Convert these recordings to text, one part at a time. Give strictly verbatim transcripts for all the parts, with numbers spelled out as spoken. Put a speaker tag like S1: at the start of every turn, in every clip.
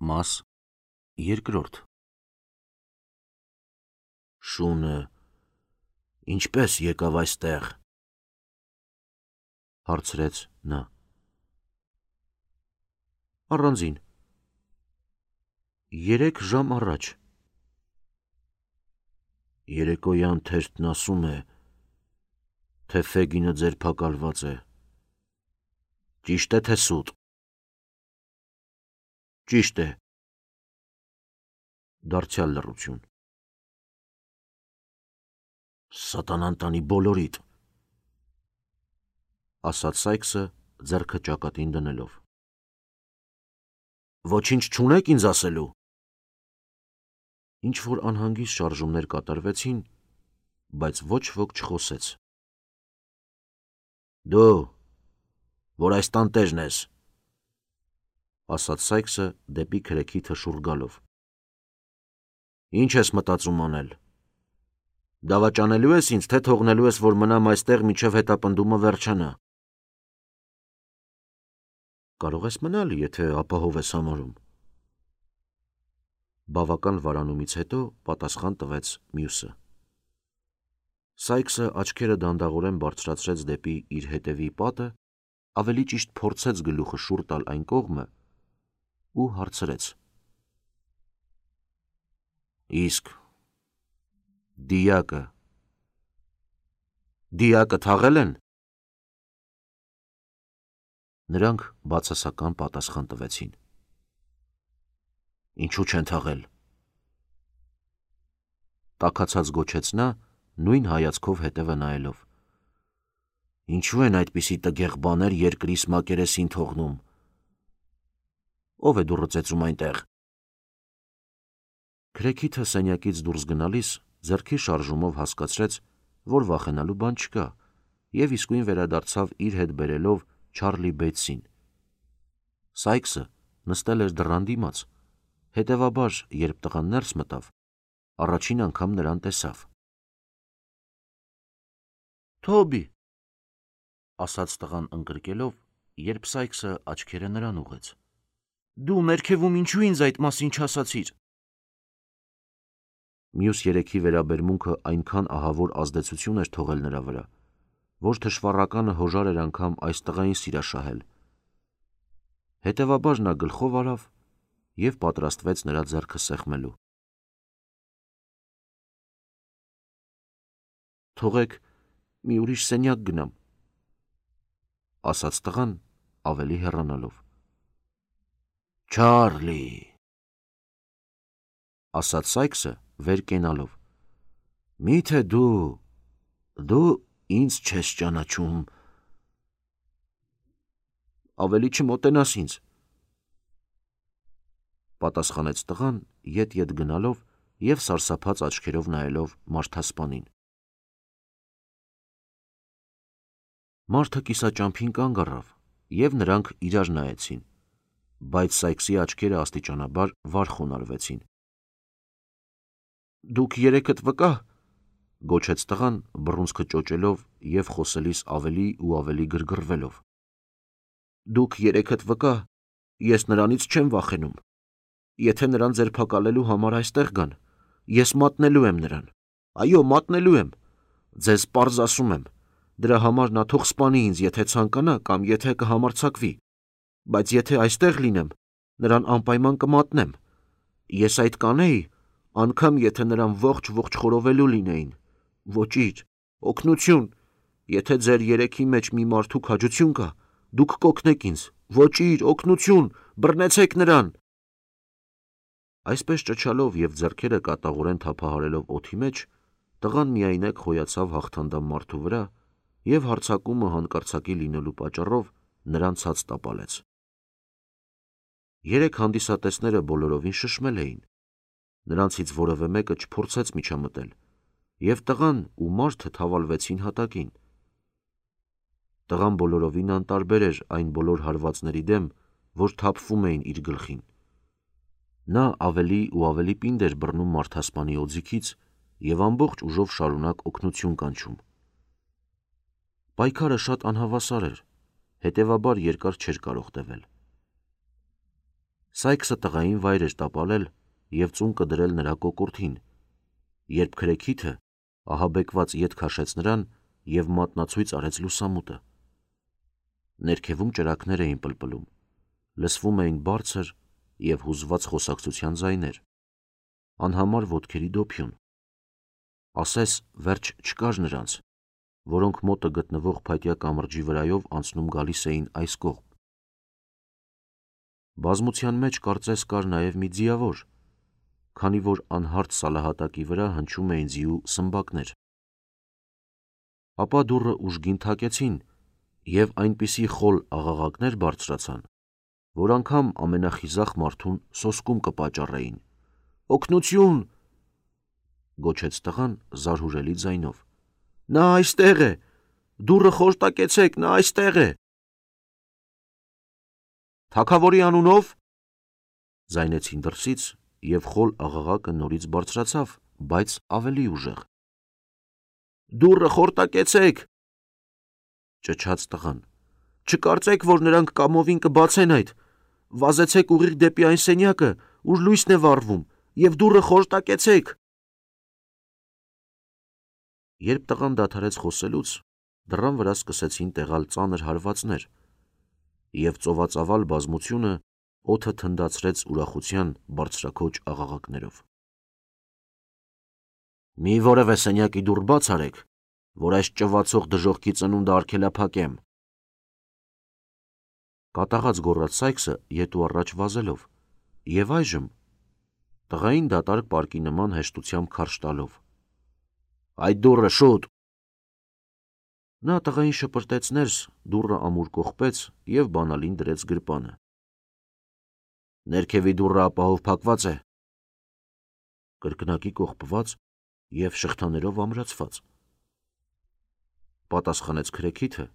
S1: Մաս երկրորդ Շունը ինչպես եկավ այստեղ, հարցրեց նա։ Առանձին, երեք ժամ առաջ։ Երեկոյան թերթն ասում է, թե Ֆեգինը ձերբակալված է։ Ճիշտ է, թե սուտ։ Ճիշտ է։ Դարձյալ լռություն։ Սատանան տանի բոլորիդ, ասաց Սայքսը ձեռքը ճակատին դնելով։ Ոչինչ չունեք ինձ ասելու։ Ինչ որ անհանգիստ շարժումներ կատարվեցին, բայց ոչ ոք չխոսեց։ Դու, որ այս տանտերն ես, ասաց Սայքսը դեպի քրեքի թշուռ գալով։ Ինչ ես մտածում անել։ Դավաճանելու ես ինձ, թե թողնելու ես, որ մնամ այստեղ մինչև հետապնդումը վերջանա։ Կարող ես մնալ, եթե ապահով ես համարում։ Բավական վարանումից հետո պատասխան տվեց մյուսը։ Սայքսը աչքերը դանդաղորեն բարձրացրեց դեպի իր հետևի պատը, ավելի ճիշտ փորձեց գլուխը շուռ տալ այն կողմը ու հարցրեց. Իսկ դիակը դիակը թաղել են։ Նրանք բացասական պատասխան տվեցին։ Ինչու չեն թաղել։ Տաքացած գոչեց նա, նույն հայացքով հետևը նայելով։ Ինչու են այդպիսի տգեղ բաներ երկրիս մակերեսին թողնում։ Ով է դուռը ծեծում այնտեղ։ Քրեքիթը սենյակից դուրս գնալիս ձեռքի շարժումով հասկացրեց, որ վախենալու բան չկա, և իսկույն վերադարձավ իր հետ բերելով Չարլի Բեյթսին։ Սայքսը նստել էր դռան դիմաց, հետևաբար, երբ տղան ներս մտավ, առաջին անգամ նրան տեսավ։ Թոբի, ասաց տղան ընկրկելով, երբ Սայքսը աչքերը նրան ուղղեց։ Դու ներքևում ինչու ինձ այդ մասին չասացիր։ Մյուս երեքի վերաբերմունքը այնքան ահավոր ազդեցություն էր թողել նրա վրա, որ թշվառականը հոժար էր անգամ այս տղային սիրաշահել։ Հետևաբար նա գլխով արավ և պատրաստվեց նրա ձեռքը սեղմելու։ Թողեք մի ուրիշ սենյակ գնամ, ասաց տղան ավելի հեռանալով։ Չարլի, ասաց Սայքսը վեր կենալով։ Միթե դու, դու ինձ չես ճանաչում։ Ավելի չմոտենաս ինձ, պատասխանեց տղան ետ-ետ գնալով և սարսափած աչքերով նայելով մարդասպանին։ Մարդը կիսաճամփին կանգ առավ, և նրանք իրար նայեցին, բայց Սայքսի աչքերը աստիճանաբար վար խոնարհվեցին։ Դուք երեքդ վկա, գոչեց տղան բռունցքը ճոճելով և խոսելիս ավելի ու ավելի գրգռվելով։ Դուք երեքդ վկա, ես նրանից չեմ վախենում։ Եթե նրան ձերբակալելու համար այստեղ գան, ես մատնելու եմ նրան։ Այո, մատնելու եմ։ Ձեզ պարզ ասում եմ, դրա համար նա թող սպանի ինձ, եթե ցանկանա կամ եթե կհամարձակվի, բայց եթե այստեղ լինեմ, նրան անպայման կմատնեմ։ Ես այդ կանեի, անգամ եթե նրան ողջ-ողջ խորովելու լինեին։ Ոչինչ, օգնություն, եթե ձեր երեքի մեջ մի մարդու քաջություն կա, դուք կօգնեք ինձ, ոչինչ, օգնություն, բռնեցեք նրան։ Այսպես ճչալով և ձեռքերը կատաղորեն թափահարելով օդի մեջ, տղան միայնակ խոյացավ հաղթանդամ մարդու վրա և հարձակումը հանկարծակի լինելու պատճառով նրան ցած տապալեց։ Երեք հանդիսատեսները բոլորովին շշմել էին։ Նրանցից որևէ մեկը չփորձեց միջամտել, և տղան ու մարդը թավալվեցին հատակին։ Տղան բոլորովին անտարբեր էր այն բոլոր հարվածների դեմ, որ թափվում էին իր գլխին։ Նա ավելի ու ավելի պինդ էր բռնում մարդասպանի օձիքից և ամբողջ ուժով շարունակ օգնություն կանչում։ Պայքարը շատ անհավասար էր, հետևաբար երկար չէր կարող տևել։ Սայքսը տղային վայր էր տապալել և ծուն կդրել նրա կոկորդին, երբ քրեքիթը ահաբեկված ետ քաշեց նրան և մատնացույց արեց լուսամուտը։ Ներքևում ճրագներ էին պլպլում, լսվում էին բարձր և հուզված խոսակցության ձայներ, անհամար ոտքերի դոփյուն։ Ասես վերջ չկար նրանց, որոնք մոտը գտնվող փայտյա կամրջի վրայով անցնում գալիս էին այս կողմ։ Բազմության մեջ կարծես կար նաև մի ձիավոր, քանի որ անհարթ սալահատակի վրա հնչում էին ձիու սմբակներ։ Ապա դուռը ուժգին թակեցին, և այնպիսի խոլ աղաղակներ բարձրացան, որ անգամ ամենախիզախ մարդուն սոսկում կպատճառեին։ «Օգնություն», գոչեց տղան զարհուրելի ձայնով։ «Նա այստեղ է, դուռը խորտակեցեք, նա այստեղ է»։ «Թագավորի անունով», ձայնեցին դրսից, և խոլ աղաղակը նորից բարձրացավ, բայց ավելի ուժեղ։ «Դուռը խորտակեցեք», ճչաց տղան։ «Չկարծեք, որ նրանք կամովին կբացեն այդ, վազեցեք ուղիղ դեպի այն սենյակը, ուր լույսն է վառվում, և դուռը խորտակեցեք»։ Երբ տղան դադարեց խոսելուց, դռան վրա սկսեցին տեղալ ծանր հարվածներ, և ծովածավալ բազմությունը օդը թնդացրեց ուրախության բարձրաքոչ աղաղակներով։ «Մի որևէ սենյակի դուռ բաց արեք, որ այս ճվացող դժոխքի ծնունդը արգելափակեմ», կատաղած գոռաց Սայքսը ետ ու առաջ վազելով, և այժմ տղային դատարկ պարկի նման հեշտությամբ քարշ տալով։ «Այդ դուռը շուտ»։ Նա տղային շպրտեց ներս, դուռը ամուր կողպեց և բանալին դրեց գրպանը։ «Ներքևի դուռը ապահով փակված է»։ Կրկնակի կողպված և շղթաներով ամրացված, պատասխանեց քրեքիթը,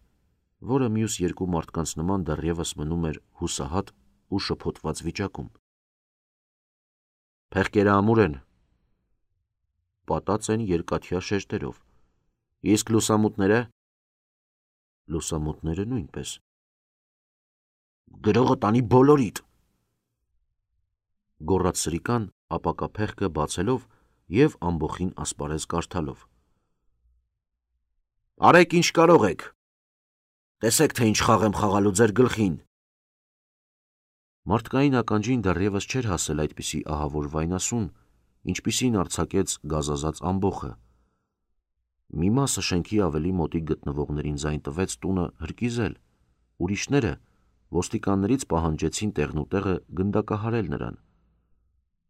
S1: որը մյուս երկու մարդկանց նման դեռևս մնում էր հուսահատ ու շփոթված վիճակում։ «Փեղկերը ամուր են, պատած են երկաթյա շերտերով, իսկ լուսամուտները»։ «Լուսամուտները նույնպես»։ «Գրողը տանի բոլորիդ», գոռաց սրիկան ապակա փեղկը բացելով և ամբոխին ասպարեզ կարդալով։ «Արեք ինչ կարող եք, տեսեք, թե ինչ խաղ եմ խաղալու ձեր գլխին»։ Մարդկային ականջին դեռևս չէր հասել այդպիսի ահավոր վայնասուն, ինչպիսին արձակեց գազազած ամբոխը։ Մի մասը շենքի ավելի մոտիկ գտնվողներին ձայն տվեց տունը հրկիզել, ուրիշները ոստիկաններից պահանջեցին տեղնուտեղը գնդակահարել նրան։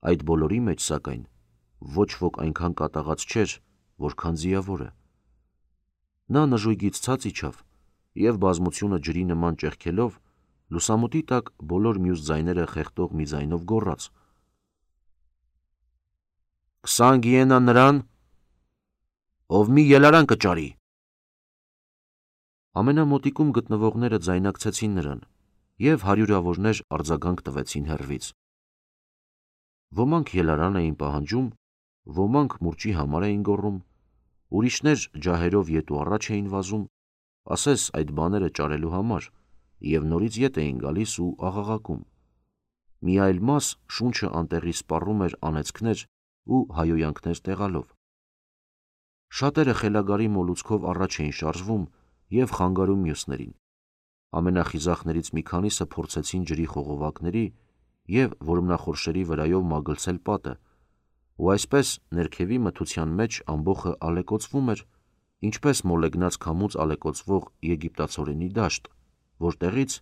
S1: Այդ բոլորի մեջ, սակայն, ոչ ոք այնքան կատաղած չէր, որքան ձիավորը։ Նա նժույգից ցած իջավ և բազմությունը ջրի նման ճեղքելով, լուսամուտի տակ բոլոր մյուս ձայները խեղդող մի ձայնով գոռաց. «Քսան գիենա նրան, ով մի ելարան կճարի»։ Ամենամոտիկում գտնվողները ձայնակցեցին նրան, և հարյուրավորներ արձագանք տվեցին հեռվից։ Ոմանք ելարան էին պահանջում, ոմանք մուրճի համար էին գոռում, ուրիշներ ջահերով ետ ու առաջ էին վազում, ասես այդ բաները ճարելու համար, և նորից ետ էին գալիս ու աղաղակում։ Մի այլ մաս շունչը անտեղի սպառում էր անեծքներ ու հայհոյանքներ տեղալով։ Շատերը խելագարի մոլուցքով առաջ էին շարժվում և խանգարում մյուսներին։ Ամենախիզախներից մի քանիսը փորձեցին ջրի խողովակների և որմնախորշերի վրայով մագլցել պատը, ու այսպես ներքևի մթության մեջ ամբոխը ալեկոծվում էր, ինչպես մոլեգնած քամուց ալեկոծվող եգիպտացորենի դաշտ, որտեղից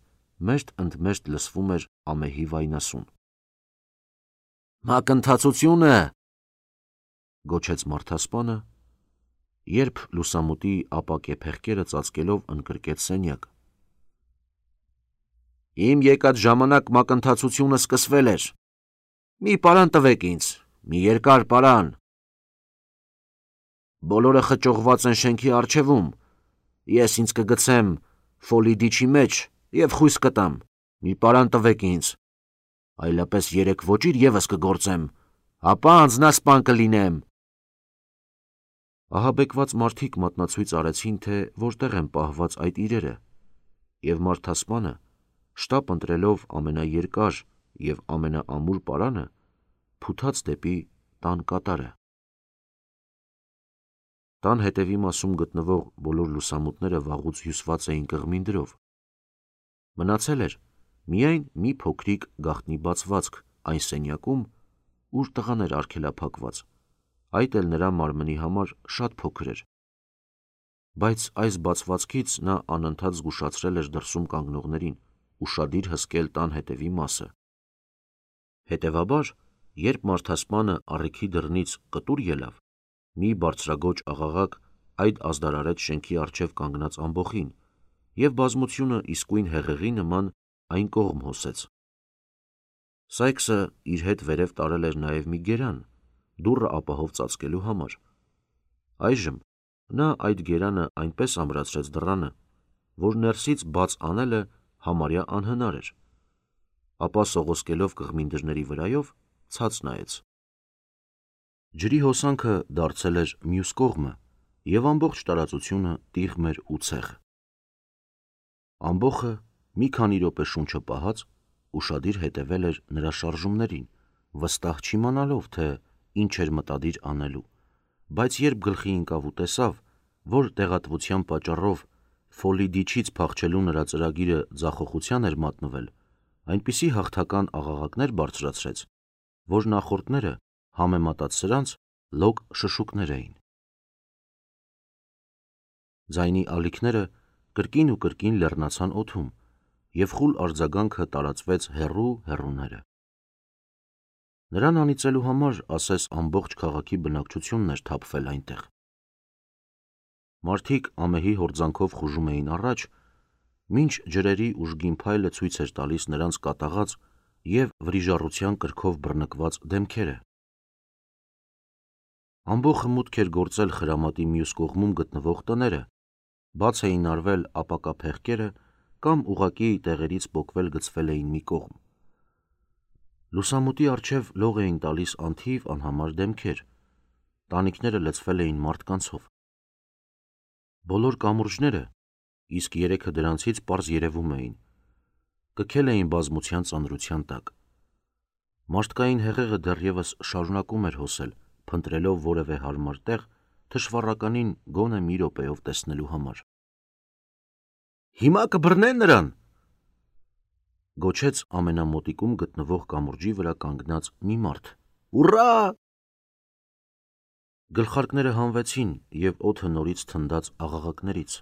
S1: մերթ ընդ մերթ լսվում էր ամեհի վայնասուն։ «Մակընթացությո՛ւնը», գոչեց մարդասպանը, երբ լուսամուտի ապակե փեղկերը ծածկելով ընդգրկեց սենյակը։ «Իմ եկած ժամանակ մակընթացությունը սկսվել էր։ Մի պարան տվեք ինձ, մի երկար պարան։ Բոլորը խճողված են շենքի առջևում, ես ինձ կգցեմ ֆոլիդիչի մեջ և խույս կտամ, մի պարան տվեք ինձ, այլապես երեք ոճիր ևս կգործեմ, ապա անձնասպան կլինեմ»։ Ահաբեկված մարդիկ մատնացույց արեցին, թե որտեղ են պահված այդ իրերը, և մարդասպանը, շտապ ընտրելով ամենաերկար և ամենաամուր պարանը փութաց դեպի տան կատարը։ Տան հետևի մասում գտնվող բոլոր լուսամուտները վաղուց հյուսված էին կղմինդրով։ Մնացել էր միայն մի փոքրիկ գաղտնի բացվածք այն սենյակում, ուր տղան էր արգելափակված, այդ էլ նրա մարմնի համար շատ փոքր էր, բայց այս բացվածքից նա անընդհատ զգուշացրել էր դրսում կանգնողներին ուշադիր հսկել տան հետևի մասը։ Հետևաբար, երբ մարդասպանը աղիքի դռնից կտուր ելավ, մի բարձրագոճ աղաղակ այդ ազդարարեց շենքի առջև կանգնած ամբոխին, և բազմությունը իսկույն հեղեղի նման այն կողմ հոսեց։ Սայքսը իր հետ վերև տարել էր նաև մի գերան, դուռը ապահով ծածկելու համար։ Այժմ նա այդ գերանը այնպես ամրացրեց դռանը, որ ներսից բաց անելը համարյա անհնար էր, ապա սողոսկելով կղմինդրների վրայով ցած նայեց։ Ջրի հոսանքը դարձել էր մյուս կողմը, և ամբողջ տարածությունը տիղմ էր ու ցեղ։ Ամբոխը մի քանի րոպե շունչը պահած ուշադիր հետևել էր նրա շարժումներին, վստահ չիմանալով, թե ինչ էր մտադիր անելու, բայց երբ գլխի ընկավ ու տեսավ, որ տեղատվության պատճառով Ֆոլիդիչից փախչելու նրա ծրագիրը ձախողության էր մատնվել, այնպիսի հաղթական աղաղակներ բարձրացրեց, որ նախորդները համեմատած սրանց լոկ շշուկներ էին։ Ձայնի ալիքները կրկին ու կրկին լեռնացան օդում, և խուլ արձագանքը տարածվեց հեռու հեռուները։ Նրան անիծելու համար ասես ամբողջ քաղաքի բնակչությունն էր թափվել այնտեղ։ Մարդիկ ամեհի հորձանքով խուժում էին առաջ, մինչ ջրերի ուժգին փայլը ցույց էր տալիս նրանց կատաղած և վրիժառության կրքով բռնկված դեմքերը։ Ամբոխը մուտք էր գործել խրամատի մյուս կողմում գտնվող տները, բաց էին արվել ապակա փեղկերը կամ ուղղակի տեղերից պոկվել գցվել էին մի կողմ։ Լուսամուտի առջև լող էին տալիս անթիվ անհամար դեմքեր, տանիքները լցվել էին մարդկանցով։ Բոլոր կամուրջները, իսկ երեքը դրանցից պարզ երևում էին, կքել էին բազմության ծանրության տակ։ Մարդկային հեղեղը դեռևս շարունակում էր հոսել, փնտրելով որևէ հարմար տեղ թշվառականին գոնե մի րոպեով տեսնելու համար։ «Հիմա կբռնեն նրան», գոչեց ամենամոտիկում գտնվող կամուրջի վրա կանգնած մի մարդ։ «Ուռա»։ Գլխարկները հանվեցին, և օդը նորից թնդաց աղաղակներից։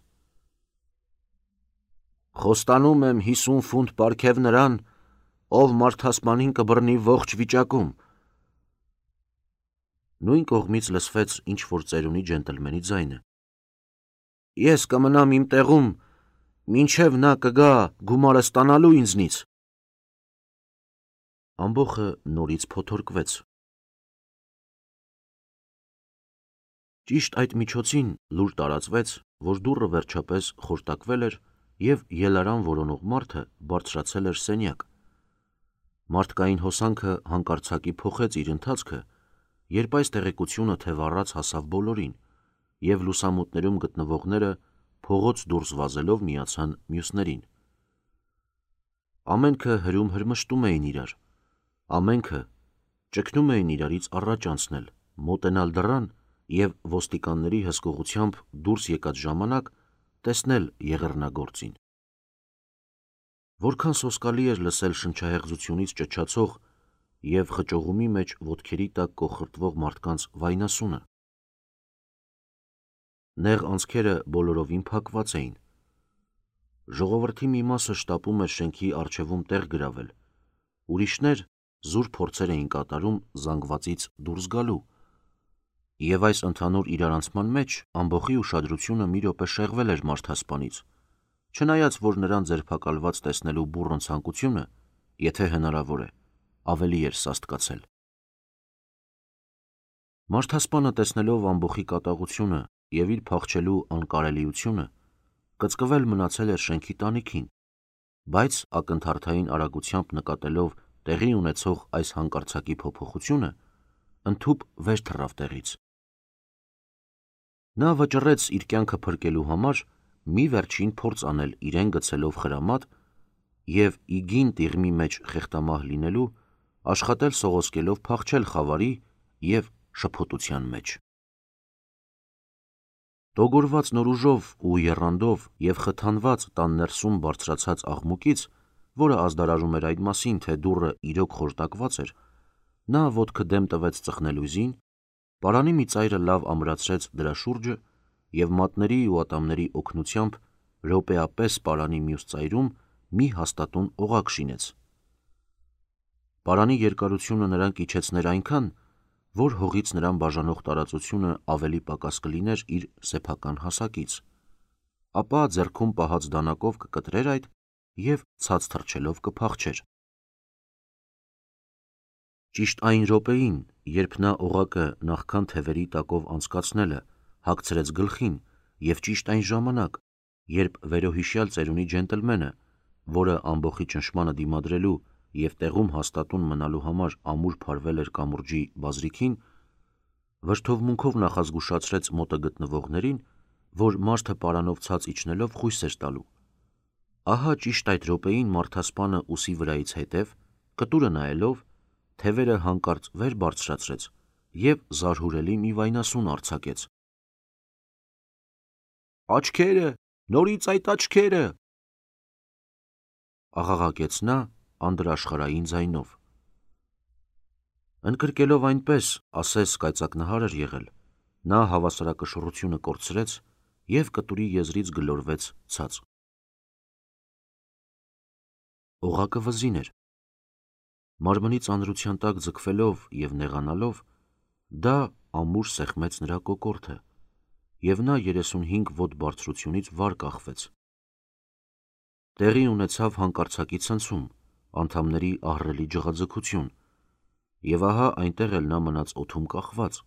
S1: «Խոստանում եմ հիսուն ֆունտ պարգև նրան, ով մարդասպանին կբռնի ողջ վիճակում»։ Նույն կողմից լսվեց ինչ-որ ծերունի ջենտլմենի ձայնը։ «Ես կմնամ իմ տեղում, մինչև նա կգա գումարը ստանալու ինձնից»։ Ամբոխը նորից փոթորկվեց։ Ճիշտ այդ միջոցին լուր տարածվեց, որ դուռը վերջապես խորտակվել էր, և ելարան որոնող մարդը բարձրացել էր սենյակ։ Մարդկային հոսանքը հանկարծակի փոխեց իր ընթացքը, երբ այս տեղեկությունը թևառած հասավ բոլորին, և լուսամուտներում գտնվողները փողոց դուրս վազելով միացան մյուսներին։ Ամենքը հրում-հրմշտում էին իրար, ամենքը ճգնում էին իրարից առաջ անցնել, մոտենալ դռան և ոստիկանների հսկողությամբ դուրս եկած ժամանակ տեսնել եղեռնագործին։ Որքան սոսկալի էր լսել շնչահեղձությունից ճչացող և խճողումի մեջ ոտքերի տակ կոխրտվող մարդկանց վայնասունը։ Նեղ անցքերը բոլորովին փակված էին։ Ժողովրդի մի մասը շտապում էր շենքի առջևում տեղ գրավել, ուրիշներ զուր փորձեր էին կատարում զանգվածից դուրս գալու, և այս ընդհանուր իրարանցման մեջ ամբոխի ուշադրությունը մի րոպե շեղվել էր մարդասպանից, չնայած որ նրան ձերբակալված տեսնելու բուռն ցանկությունը, եթե հնարավոր է, ավելի էր սաստկացել։ Մարդասպանը տեսնելով ամբոխի կատաղությունը և իր փախչելու անկարելիությունը, կծկվել մնացել էր շենքի տանիքին, բայց ակնթարթային արագությամբ նկատելով տեղի ունեցող այս հանկարծակի փոփոխությունը, ընդհուպ վեր թռավ տեղից։ Նա վճռեց իր կյանքը փրկելու համար մի վերջին փորձ անել իրեն գցելով խրամատ և իգին տիղմի մեջ խեղտամահ լինելու, աշխատել սողոսկելով փախչել խավարի և շփոթության մեջ։ Տոգորված նոր ուժով ու եռանդով և խթանված տան ներսում բարձրացած աղմուկից, որը ազդարարում էր այդ մասին, թե դուռը իրոք խորտակված էր, նա ոտքը դեմ տվեց ծխնելույզին, պարանի մի ծայրը լավ ամրացրեց դրա շուրջը և մատների ու ատամների օգնությամբ րոպեապես պարանի մյուս ծայրում մի հաստատուն օղակ շինեց։ Պարանի երկարությունը նրան կիջեցներ այնքան, որ հողից նրան բաժանող տարածությունը ավելի պակաս կլիներ իր սեփական հասակից, ապա ձեռքում պահած դանակով կկտրեր այդ և ցած թռչելով կփախչեր։ Ճիշտ այն րոպեին, երբ նա օղակը նախքան թևերի տակով անցկացնելը հագցրեց գլխին, և ճիշտ այն ժամանակ, երբ վերոհիշյալ ծերունի ջենտլմենը, որը ամբոխի ճնշմանը դիմադրելու և տեղում հաստատուն մնալու համար ամուր փարվել էր կամուրջի բազրիքին, վրդովմունքով նախազգուշացրեց մոտը գտնվողներին, որ մարդը պարանով ցած իջնելով խույս էր տալու, ահա ճիշտ այդ րոպեին մարդասպանը ուսի վրայից հետև, կտուրը նայելով, թևերը հանկարծ վեր բարձրացրեց և զարհուրելի մի վայնասուն արձակեց. «Աչքերը, նորից այդ աչքերը», աղաղակեց նա անդրաշխարհային ձայնով։ Ընկրկելով այնպես, ասես կայծակնհար էր եղել, նա հավասարակշռությունը կորցրեց և կտուրի եզրից գլորվեց ցած։ Օղակը վզին էր։ Մարմնի ծանրության տակ ձգվելով և նեղանալով, դա ամուր սեղմեց նրա կոկորդը, և նա երեսունհինգ ոտ բարձրությունից վար կախվեց։ Տեղի ունեցավ հանկարծակի ցնցում, անդամների ահռելի ջղաձգություն, և ահա այնտեղ էլ նա մնաց օդում կախված,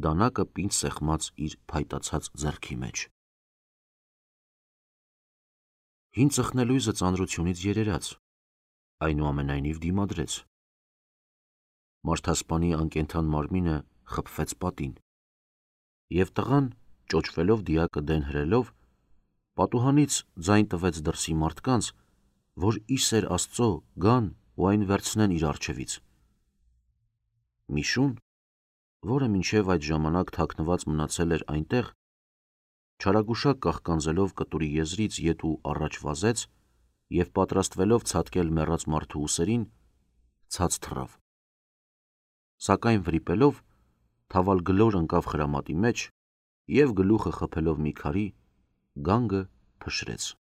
S1: դանակը պինդ սեղմած իր փայտացած ձեռքի մեջ։ Հին ծխնելույզը ծանրությունից երերաց, այնուամենայնիվ դիմադրեց։ Մարդասպանի անկենդան մարմինը խփվեց պատին, և տղան, ճոճվելով դիակը դեն հրելով, պատուհանից ձայն տվեց դրսի մարդկանց, որ ի սեր Աստծո գան ու այն վերցնեն իր առջևից։ Մի շուն, որը մինչև այդ ժամանակ թաքնված մնացել էր այնտեղ, չարագուշակ կաղկանձելով կտուրի եզրից ետ ու առաջ վազեց և պատրաստվելով ցատկել մեռած մարդու ուսերին, ցած թռավ, սակայն վրիպելով, թավալգլոր ընկավ խրամատի մեջ և գլուխը խփելով մի քարի, գանգը փշրեց։